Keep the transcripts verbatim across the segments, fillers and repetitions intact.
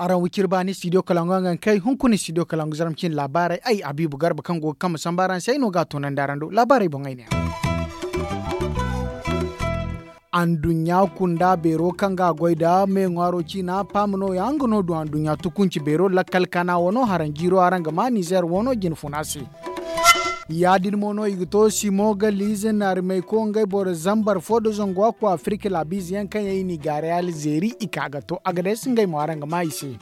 Araŋ wiciri baani studio kalangu yaŋ ga kay hunkuna studio kalangu zarma cine laabaarey ay habiibu garba kaŋ go ga kambe samba araŋ se ay no ga a toonandi araŋ do laabaarey boŋ ay ne. Anduɲɲa kunda beero kaŋ ga a goy nda me ŋwaaro ciina paama nooya nga no du anduɲɲa tukunci beero lakkal kana wano haraŋ jiiro araŋ ga ma nizeer wano jinfuna se. Ya- din mo no i ga to simo ga liize naarimayko ngey boro zambar fo nda zangu a ku afirika laabiize yaŋ kaŋ yaŋ i n'i gaaray alzeeri i ka ga to agades ngey mo araŋ ga ma i se.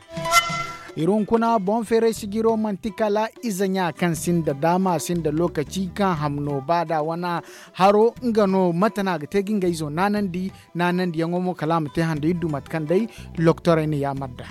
Iri hunkuna boŋ feeray sijiro manti kala ize ɲa kaŋ sinda daama sinda lookaci kaŋ hamno ba da wane haro nga no mate no a ga te ga nga izo naanandi naanandiyaŋo mo kala a ma te hando iri du mate kaŋ day loktorey na yaamar nd'a.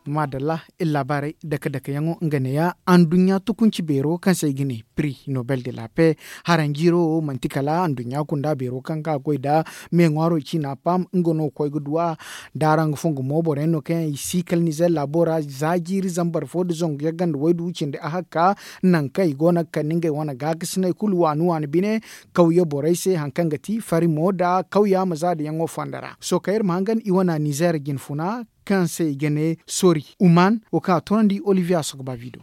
Maadalla iri laabaarey dake dakeyaŋo nga neeya anduɲɲa tukunci beero kaŋ se i ga ne piri nobel de la pe haranjiiro wo manti kala anduɲɲa kunda beero kaŋ ga a goy nda me ŋwaaro ciina pam nga no koy ga du a. Nda araŋ ga fongu mo boroyaŋ no kaŋ yaŋ i si kala nizer laabo ra za jiiri zambar fo nda zangu yagga nda waydu cindi ahakka nangu kaŋ i go no ga kande ngey wane gaakasinay kulu waani waani bine kawye borey se hari kaŋ ga ti farimo nda kawya ma za da yaŋo fondo ra sohõ kaŋ iri ma hangan i wane nizer jinfuna kaŋ se i ga ne sori uman wo kaŋ a toonandi olivier a sogo ba vido.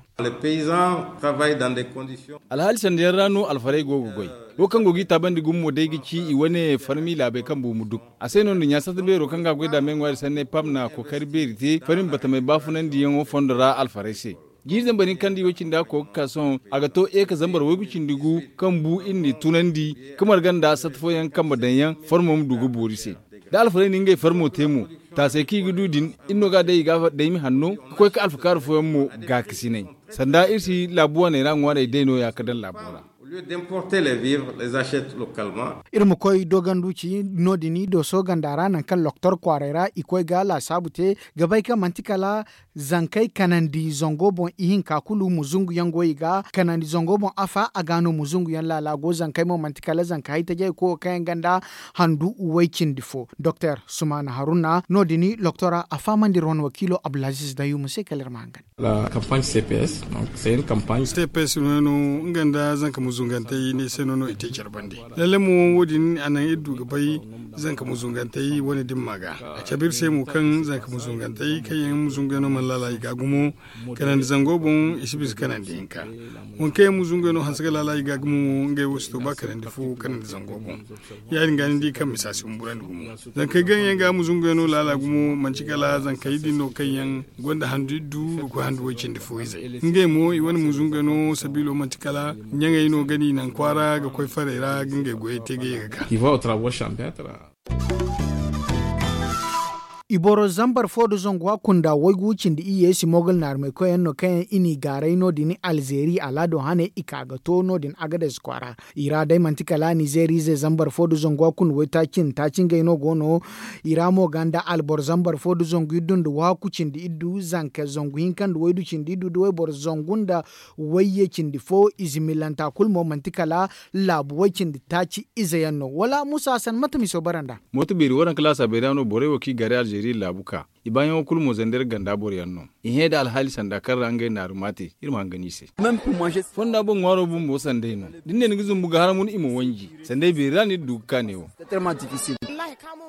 Alhaali sanda yaŋ ra no alfarey go ga goy wo kaŋ go g'i taabandi gumo day ga ci i wane farmi laabey kaŋ buumu duk a se no nda ɲaasata beero kaŋ ga a goy nd'a me ŋwaari sanney pam na kookari beeri te farmi batamey baafunandiyaŋo fondo ra alfarey se. Jiiri zambar hinka nda i way cindi a koy ga ka sohõ a ga to eeka zambar waygu cindi gu kaŋ bu iri n'i tunandi ka marga nda sata fooyaŋ kambe daŋ yaŋ farmo ma du ga boori se. Da alfarey na ngey farmo te mo taasey kaŋ i ga du din iri no ga a day i ga daymi hanno ga koy ka alfakaara fooyaŋ mo gaakasinay. Sanda iri si laabu waaney ra ŋwaarey day nooya ga daŋ laabo ra. Iri ma koy doganduci no- din dooso ganda ra nangu kaŋ loktor kwaaray ra i koy ga laasaabu te ga bay kaŋ manti kala zankey kanandi zango boŋ ihinka kulu muzungu yaŋ go i ga kanandi zango boŋ afa a ga no muzungu yaŋ laala go zankey mo manti kala zanka haytajey koyo kaŋ yaŋ ganda handu way cindi fo doktor sumaana haruna no- din loktora a fahamandi iri wane wakiilo abdulaziz dayumu se kala iri ma hangan. Cps no no nga nda zanka muzungantey ne se no no i te care bande. Lalle mo wo- din a naŋ iri du ga bay zanka muzungantey wane dimma ga a cabe iri se mo kaŋ zanka muzungantey kaŋ yaŋ muzungey no mana laala i ga gumo kanandi zango boŋ i si bisa kanandi hinka. Waŋ kaŋ yaŋ muzungey no hanse ga laala i ga gumo mo ngey wo si to ba kanandi fo kanandi zango boŋ. Ya- din ga ni di kaŋ misa si humburandi gumo zankey gaŋ yaŋ ga muzungey no laala gumo manti kala zankey din no kaŋ yaŋ gonda handu iddu ga koy handu way cindi fo izey ngey mo i wane muzungey no sabiilo manti kala ɲaŋey no ga ni naŋ kwaara ga koy farey ra ga ngey goyey te ga ye ga ka. I boro zambar fo nda zangu a kunda waygu cindi iyye si mogal naarumay koyyaŋ no kaŋ yaŋ i n'i gaaray no- din alzeeri alaado hane i ka ga to no- din agades kwaara. I ra day manti kala nizeeriize zambar fo nda zangu a kunda waytaaci nda taaci ngey no go no. I ra mo ga nda alboro zambar fo nda zangu iddu nda waaku cindi iddu zanka zangu hinka nda waydu cindi iddu nda wayboro zangu nda wayye cindi fo ize millanta kulu mo manti kala laabu way cindi taaci ize yaŋ no wala muusa hasan mate miso bara nd'a. Mooto beeri waranka laasaabey ra no borey wo kaŋ i gaaray alzeeri laabu ka i baayaŋo kulu mo zandar ganda boroyaŋ no. I hẽ nda alhaali sanda kaŋ ra ngey naaru ma te iri ma hangan i se. Fonda boŋ ŋwaaro bumbo sanday no da ni ne ni ga zumbu ga haramun i ma wanji sanday beeri ra no iri du ga ka neewo.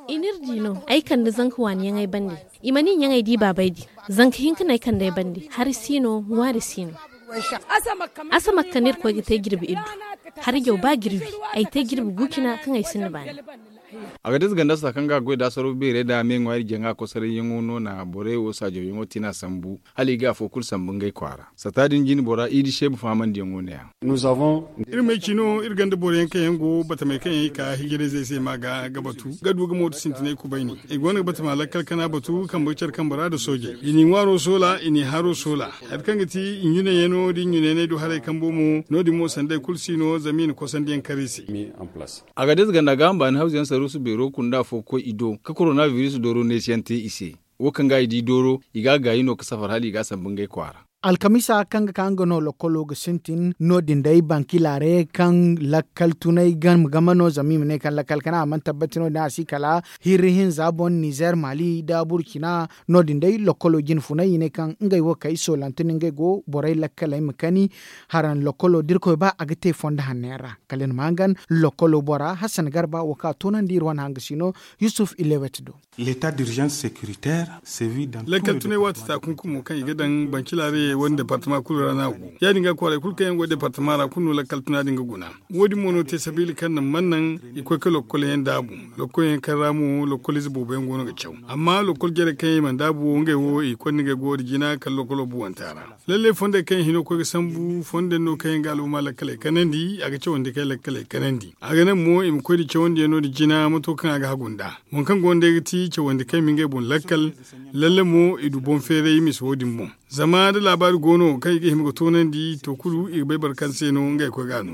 I n'iri di no ay kande zanka waaniyaŋey bande. I mana i ɲaŋey di baabey din zanka hinka no ay kand'ey bande hari si no ŋwaari si no. Asamak kaŋ iri koy ga te jirbi iddu hari jaw ba jirbi ay te jirbi gu cina kaŋ ay sinda baani. A ga dasa ganda sata kaŋ ga a goy da sorro beerey da me ŋwaari jaŋa kosorayyaŋo no na borey wo saajawyaŋo tina sambu hala i ga afo kulu sambu ngey kwaara sata din jine bora i di seebu fahamandiyaŋo ne-ya. Iri ma ay ci no iri gonda boroyaŋ kaŋ yaŋ go batamey kaŋ yaŋ i ka hijirayzey se ma ga ga batu ga du ga mooto sintinay kubayni i go no ga batama lakkal kana batu kambe care kambe ra nda soojey i n'i ŋwaaro soola i n'i haro soola. Hari kaŋ ga ti i ɲunayaŋo da i ɲunayaŋey du haray kambo mo no- din mo sanday kulu si no zama i na kosandiyaŋ kar i se. A ga dasa ganda ga hamba ni hawzu yaŋ saruusu beero kunda afo ga koy i do ka korona biris dooro neesiyaŋ te i se. Wo kaŋ ga i di dooro i ga a gaayi no ka safar hala i ga a sambu ngey kwaara. Alkamiisa kaŋ ga ka nga no lokkolo ga sintin no- din day banki laare kaŋ lakkal tunay game game no zama i ma ne kaŋ lakkal kana a mana tabbati no- din a si kala hirri hinza boŋ nizer mali nda burkina. No- din day lokkolo jine funay i ne kaŋ ngey wo kay soolante no ngey go borey lakkaley ma kani. Haraŋ lokkolo da irkoy ba a ga te fondo hanno yaŋ ra. Kala iri ma hangan lokkolo bora hassan garba wo kaŋ a toonandi iri wane hangasi no. Yusuf ilewet do. Lakkal tunay waati taakunkumo kaŋ i ga daŋ banci laarayey wane departama kulu ra no a go. Ya- din ga kwaaray kulu kaŋ yaŋ go departama ra kulu no lakkal tuna din ga guna. Wo- din mo no te sabiila kaŋ na man naŋ i koy ga lokkol yaŋ daabu. Lokkol yaŋ kaŋ ra mo lokkol ize boobo yaŋ go no ga caw. Amma lokkol jarey kaŋ yaŋ i mana daabu wo ngey wo i koy no ngey go da jina kala lokkolo buwanta ra. Lallay fondey kaŋ yaŋ hino ga koy ga sambu fondey no kaŋ yaŋ ga al'umma lakkaley kanandi a ga cawandi kaŋ yaŋ lakkaley kanandi a ga naŋ mo i ma koy nda cawandiyaŋ no nda jina mato kaŋ a ga hagu nd'a. Boŋ kaŋ go nda ay ga ti cawandi kaŋ i ma ngey boŋ lakkal. Lalle mo i du boŋ feeray misa wo- din boŋ. Zama da laabaari go no kaŋ i ga hima ga toonandi to kulu i ga bay boro kaŋ se no ngey koy ga a no.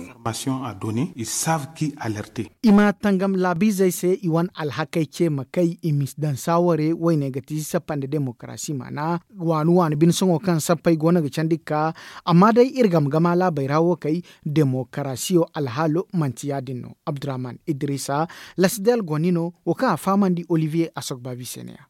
I ma tangam laabiizey se i wane alhakey ce ma kay i ma daŋ saaware woyne ga ti sappa nda demokarasi maana. Waani waani bine sohõ kaŋ sappey go no ga candi ga ka. Amma day iri game gama laabey ra wo kay demokarasiyo alhaalo manti ya- din no. Abdurrahman idrisa lasidel goni no wo kaŋ a fahamandi olivier asogbabi se ne- ya.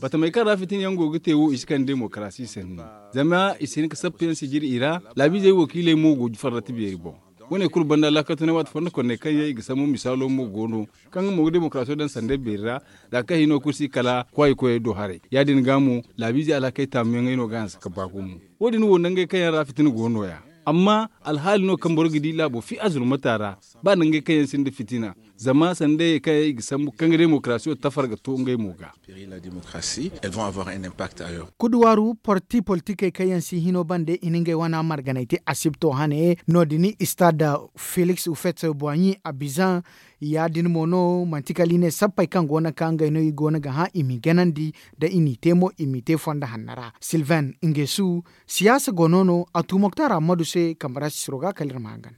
Batamey kaŋ ra fitina yaŋ go ga te wo i si kande demokarasi sanni. Zama i si hin ga sappa yaŋ sijiri i ra. Laabiizey wakiiley mo go farrata beeri boŋ. Wo- ne kulu banda laakal tunay waati fondo konney kaŋ yaŋ i ga sambu misaalo mo go no kaŋ nga mo ga demokarasiyo daŋ sanday beeri ra. Za kaŋ hino kulu si kala kwaayi koyey do haray ya- din ga mo laabiizey alhakey taamuyaŋey no ga hanse ga ba gumo. Wo- din wo nangey kaŋ yaŋ ra fitina go no- ya. Amma alhaali no kaŋ boro ga di laabo fi azurmata ra ba nangey kaŋ yaŋ sinda fitina. Zama sanda ye kaŋ yaŋ i ga sambu kaŋ ga demokarasiyo tafar ga to ngey mo ga. Kuduwaaru parti politikey kaŋ yaŋ si hino bande i na ngey wana marganay te asibto hane no- din istad feliks ufet boiɲi abizan. Ya- din mo no manti kala i ne sappey kaŋ go no ga ka ngey no i go no ga hã i m'i ganandi. Da i n'i te mo i m'i te fondo hanno ra silvain ngesu. Siyaasa go no no a tu moktar ammadu se kambe ra sisiro ga kala iri ma hangan.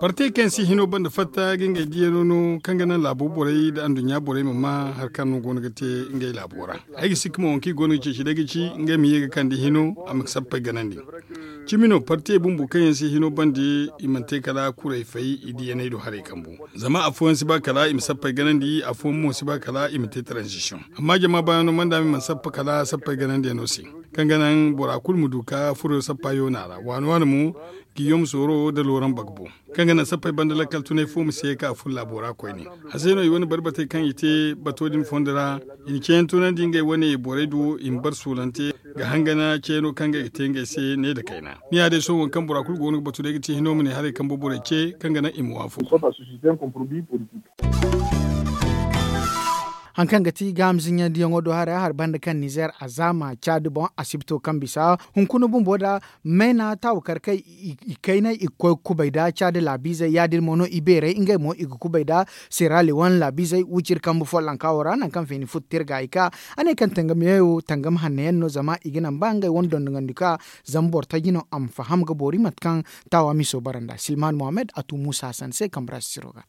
Partey kaŋ yaŋ si hino banda fatta ga ngey diyano no kaŋ ga naŋ laabo borey nda anduɲɲa borey ma ma hari kaŋ no go no ga te ngey laabo ra. Ay ga sikka mo waŋ kaŋ i go no ga ceeci day ga ci ngey ma ye ga kande hino a ma sappey ganandi. Cimi no partey bumbo kaŋ yaŋ si hino banda i mana te kala kuray fay i diyaney do haray kambu. Zama afooyaŋ si ba kala i ma sappey ganandi afooyaŋ mo si ba kala i ma te transition. Amma jama baayaŋo manda ma i mana sappa kala sappey ganandiyano se kaŋ ga naŋ bora kulu ma du ka furo sappa yoona ra waani waani mo. Giyom sooro nda looraŋ bagbo kaŋ ga naŋ sappey banda lakkal tunay fo ma si ye ka furo laabo ra koyne. A se no i wane barbatey kaŋ i te bato din fondo ra i na ceeyaŋ tunandi ngey wane borey do i ma bar suulante ga hangana ceeno kaŋ ngey ga te ngey se ne nda kayna. Ni ya day sohõ waŋ kaŋ bora kulu go no ga batu day ga ti hino ma ne haray kaŋ borey ce kaŋ ga naŋ i ma waafo. Hari kaŋ ga ti gaama zinɲandiyaŋo do haray a hari banda kaŋ nizer a zaama caadi boŋ asibto kaŋ bisa hunkuna bumbo da mayna taawukar kaŋ i kaynay i ga koy ga kubay da caadi laabiizey ya- din mo no i beerey ngey mo i ga kubay da seera lewan laabiizey wiciri kambe follonka wo ra nangu kaŋ feeni futta iri ga i ka. A ne kaŋ tangamiyaŋo tangam hanno yaŋ no zama i ga naŋ ba ngey wane dondonandi ka zama boro taji no a ma faham ga boori mate kaŋ taawa miso bara nd'a silman mohammed a tu muusa hasan se kambe ra sisiro ga.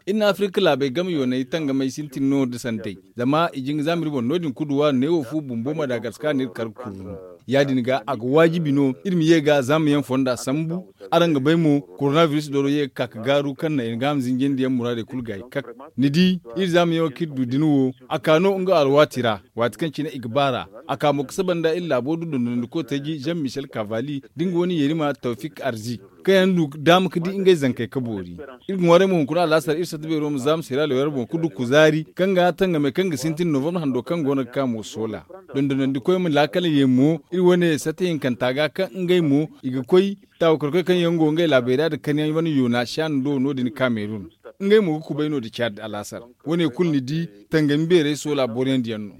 Iri na afirka laabey game yooney tangamey sintin no nda santey zama i jin ga zaama iri boŋ no- din kuduwa neewo fu bumbo madagascar no iri kar ga kurru. Ya- din ga a ga waajibi no iri ma ye ga zaama yaŋ fonda sambu. Araŋ ga bay mo koronabiris doro ye ga ka ga gaaru kaŋ na iri ga a ma zinjandi yaŋ muraadey kulu gaayi kak. Ni di iri zaama yaŋo kaŋ iri du din wo a ka no nga alwaati ra. Waati kaŋ cine i ga baar'a a ka mo ga saba nda iri laabo du dondonandiko taji jean michel kavali da nga wane yerima tawfik arzik kaŋ yaŋ du daama ga di ngey zankey ga boori. Iri ga ŋwaaray mo hunkuna alaasar iri satta beero ma zaama siralewer boŋ ga du kuzaari kaŋ ga tangamey kaŋ ga sintin novambar hando kaŋ go no ga ka mo soola. Dondonandikoy ma laakal ye mo iri wane satta hinkanta ga kaŋ ngey mo i ga koy taawakarkoy kaŋ yaŋ go ngey laabey ra nda kaniyaŋ wane yoona shaana do no- din kamerun. Ngey mo ga kubay no nda caadi alaasar. Wane kulu ni di tangami beerey soola boroyaŋ diyaŋ no.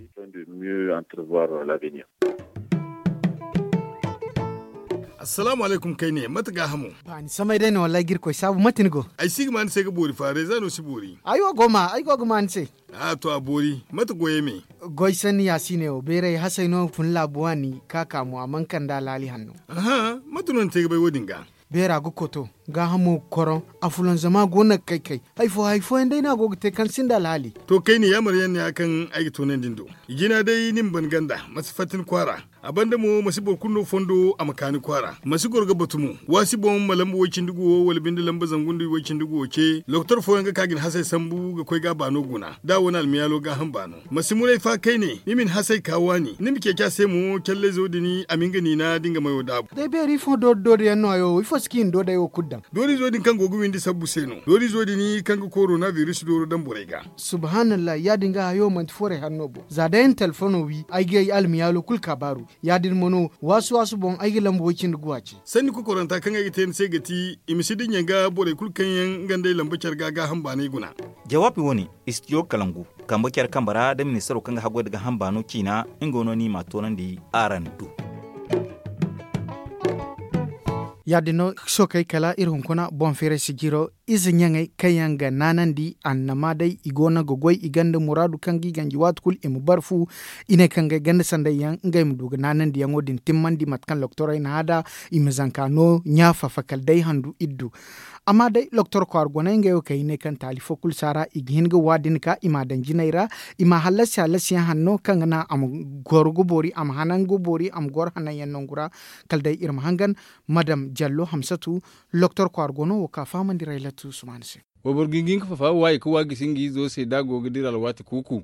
Assalaamu alaykum kayne mate gaahamo? Ba ni samay day no wallaahi ga irkoy saabu mate ni go? Ay si ga ma ni se ga boori fa reeza no si boori. Ay wo go ma ay go ga ma ni se. A to a boori mate goyey me? Goy sanni ya si ne wo beeray hasay no fun laabu waani ka ka mo a mana kand'a laali hanno. Aha mate no ni te ga bay wo- din ga? Beera ga koto, gaahamo ga koroŋ, a fulanzama go no ga kay kay. Hari fo hari fooyaŋ day no a go ga te kaŋ sinda alhaali. To kayna yaamar yaŋ no ya kaŋ ay ga toonandi ni do. Jina day ni ma ban ganda, ma si fatta ni kwaara. A banda mo ma si boro kulu no fondo a ma ka ni kwaara, ma si goro ga batu mo. Waasi boŋ ma lamba way-cindi guwo wala binde lamba zangu nda way-cindi guwo ce, lokotor fooyaŋ ga ka ga ni hasey sambu ga koy ga a baano guna da a wane almiyaalo gaaham baano. Ma si muray fa kayne ni ma ni hasey ka waani, ni ma ceeci a se mo callayzo din a ma nga niina da nga mayo daabu. Day beeri fo doori doori yaŋ no hayo wo ifo si ka i na doodey wo kulu daŋ? Doorizo din kaŋ go ga windi sabbu se no. Doorizo din kaŋ ga korona biris dooro daŋ borey ga. Subhanallah, ya- din ga hayo manti forey hanno boŋ za day ni telefono wi ay ga ay almiyaalo kulu kaabaaru. Ya- din mo no waasu waasu boŋ ay ga lamba way-cindi guwa ce. Sanni kokoranta kaŋ ay ga te ni se ga ti, i ma si dinya ga borey kulu kaŋ yaŋ nga nd'ey lamba care ga gaaham baanay guna. Jawaabi wo- ne, istidiyo kalangu, kambe care kambe ra da ministaro kaŋ ga haggoy nda gaaham baano ciina, nga no ni m'a toonandi araŋ do. Ya- din no, sookey kala iri hunkuna boŋ feeray sijiro, ize ɲaŋey kaŋ yaŋ ga naanandi annama day i go no ga goy i ganda muraadu kaŋ ga i ganji waati kulu i ma bare fu. I ne kaŋ ga ay ganda sanday yaŋ ngey ma du ga naanandiyaŋo din timmandi mate kaŋ lokotorey na hã nd'a, i ma zanka no ɲa fafa kala day handu iddu. Amma day lokotor kwaara goney ngey wo kaŋ i ne kaŋ taali fo kulu si a ra i ga hin ga wa din ka i m'a daŋ jinay ra, i m'a hallasi hallasiyaŋ hanno kaŋ ga naŋ a ma goro ga boori a ma hanan ga boori a ma goro hananyaŋ nangu ra. Kala day iri ma hangan madam jallo hamsatu, lokotor kwaara go no wo ka fahamandi raylat usman se. Wayboro ga hin ga hin ga fafa waayi ga wa gisi nga izo se da a go ga dira alwaati kuuku.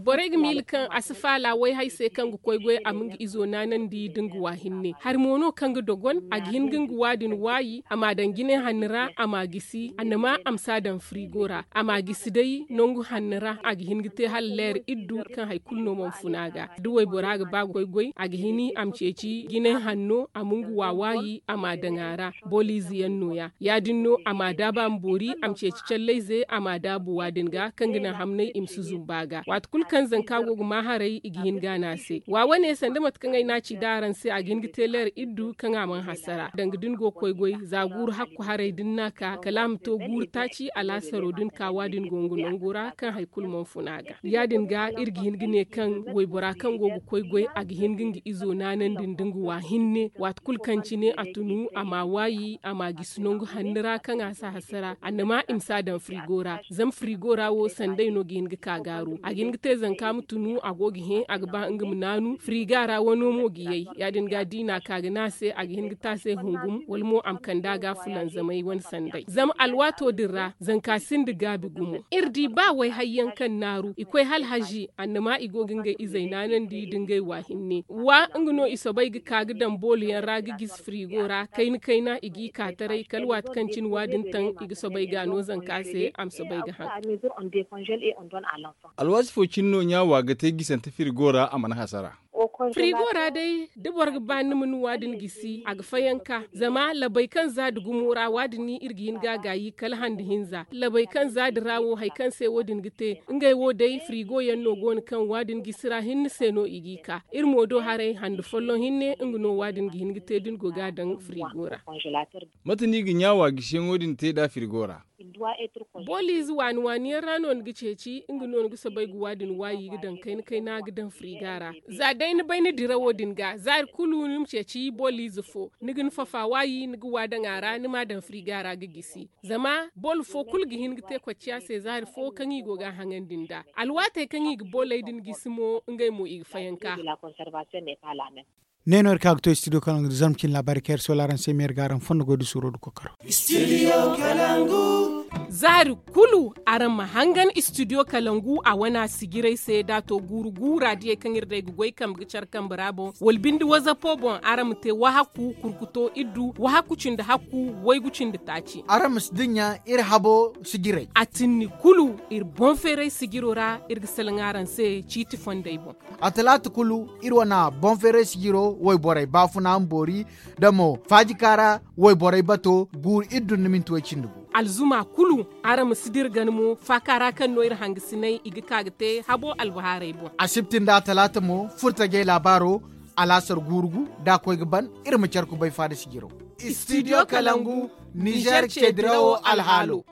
Borey ga miila kaŋ a si faala wayhay se kaŋ ga koy goy a ma nga izo naanandi nda nga wa hinne hari mo no kaŋ ga dogon a ga hin ga nga wa din waayi a m'a daŋ jine hanno ra a m'a gisi annama a ma si a daŋ firigo ra a m'a gisi day nangu hanno ra a ga hin ga te hala leer iddu kaŋ hari kulu no mana fun a ga. Da waybora ga ba ga koy goy a ga hin a ma ceeci jine hanno a ma nga wa waayi a m'a daŋ a ra. Booliize yaŋ no- ya ya- din no a m'a daabu a ma boori a ma ceeci callayze a m'a daabu wa din ga kaŋ ga naŋ hamnay i ma si zumbu a ga waati kulu kaŋ zanka go ga maa haray i ga hin ga a ne a se wa wane sanda mate kaŋ ay ne a ci nd'a araŋ se a ga hin ga te leer iddu kaŋ a mana hasara danga da ni go ga koy goy za guuru hakku haray da ni n'a ka kala a ma to guuru taaci alaasaro da ni ka wa din go nga nango ra kaŋ hari kulu mana fun a ga. Ya- din ga iri ga hin ga ne kaŋ waybora kaŋ go ga koy goy a ga hin ga nga izo naanandi nda nga wa hinne waati kulu kaŋ cine a tunu a m'a waayi a m'a gisi nangu hanno ra kaŋ a si a hasara annama i ma si a daŋ firigo ra. Zama firigo ra wo sanday no ga hin ga ka gaaru a ga hin ga te zanka ma tunu a go ga hẽ a ga ba nga ma naanu firiga ra wano mo ga yay ya- din ga da i n'a ka ga ne a se a ga hin ga te a se hungum wala mo a ma kande a ga fulanzamay wane sanday zama alwaato din ra zanka sinda gaabi gumo. Iri di ba wayhay yaŋ kaŋ naaru i koy hala hazi annama i go ga ngey izey naanandi nda ngey wa hinne wa nga no i soobay ga ka ga daŋ boolo yaŋ ra ga gisi firigo ra kayna kayna i g'i ka taray kala waati kaŋ cine wa- din taŋ i ga soobay ga a no zanka se a ma soobay ga haŋ. Alwaati fo cine no ɲa wa ga te gisante firigo ra a mana hasara. Firigo ra day da boro ga ba ni ma ni wa- din gisi a ga fayanka zama labay kaŋ za da gumo ra wa- din iri ga hin ga a gaayi kala hande hinza labay kaŋ za da ra wo hari kaŋ se wo- din ga te ngey wo day firigo yaŋ no go no kaŋ wa- din gisi ra hinne se no i g'i ka iri mo do haray hande folloŋ hinne nga no wa- din ga hin ga te da ni go ga a daŋ firigo ra. Mate no i ga ɲa wa gisiyaŋo din te nd'a firigo ra? Booliize waani waani yaŋ ra no ni ga ceeci nga no ni ga soobay ga wa- din waayi ga daŋ kayna kayna ga daŋ firiga ra. Za day ni bay ni dirawo din ga zaari kulu ni ma ceeci booliize fo ni ga ni fafa waayi ni ga wa daŋ a ra ni m'a daŋ firiga ra ga gisi. Zama boolo fo kulu ga hin ga te kocciya se zaari fo kaŋ i go ga a haŋandi nd'a alwaatey kaŋ i ga booley din gisi mo ngey mo i ga fayanka. Ne no iri ka ga to studio kalaŋ ga du zarma cine laabaari kaŋ iri soola araŋ se meeri ga araŋ fondo goy da suuro da kokaro. Zaari kulu araŋ ma hangan studio kalangu a wana sijirey se da a to guuru guura diyey kaŋ iri day ga goy kambe ga care kambe ra boŋ wala binde wazapo boŋ araŋ ma te wahakku kurkuto iddu wahakku cindi hakku waygu cindi taaci. Araŋ ma si dinya iri habo sijirey a tinni kulu iri boŋ feeray sijiro ra iri ga salaŋ araŋ se ciiti fondey boŋ. A talaata kulu iri wane boŋ feeray sijiro wayborey baafuna ma boori da mo faajika ra wayborey bato guuru iri dunna minti way cindi gu. Alzuma kulu araŋ ma si dira gana mo faaka ra kaŋ no iri hangasinay i ga ka ga te habo albahaarey boŋ. Asibti nda a talaata mo furtajey laabaaro alaasar guuru gu da a koy ga ban iri ma care kubay faada sijiro. Studio kalangu nizer ce dirawo alhaalo.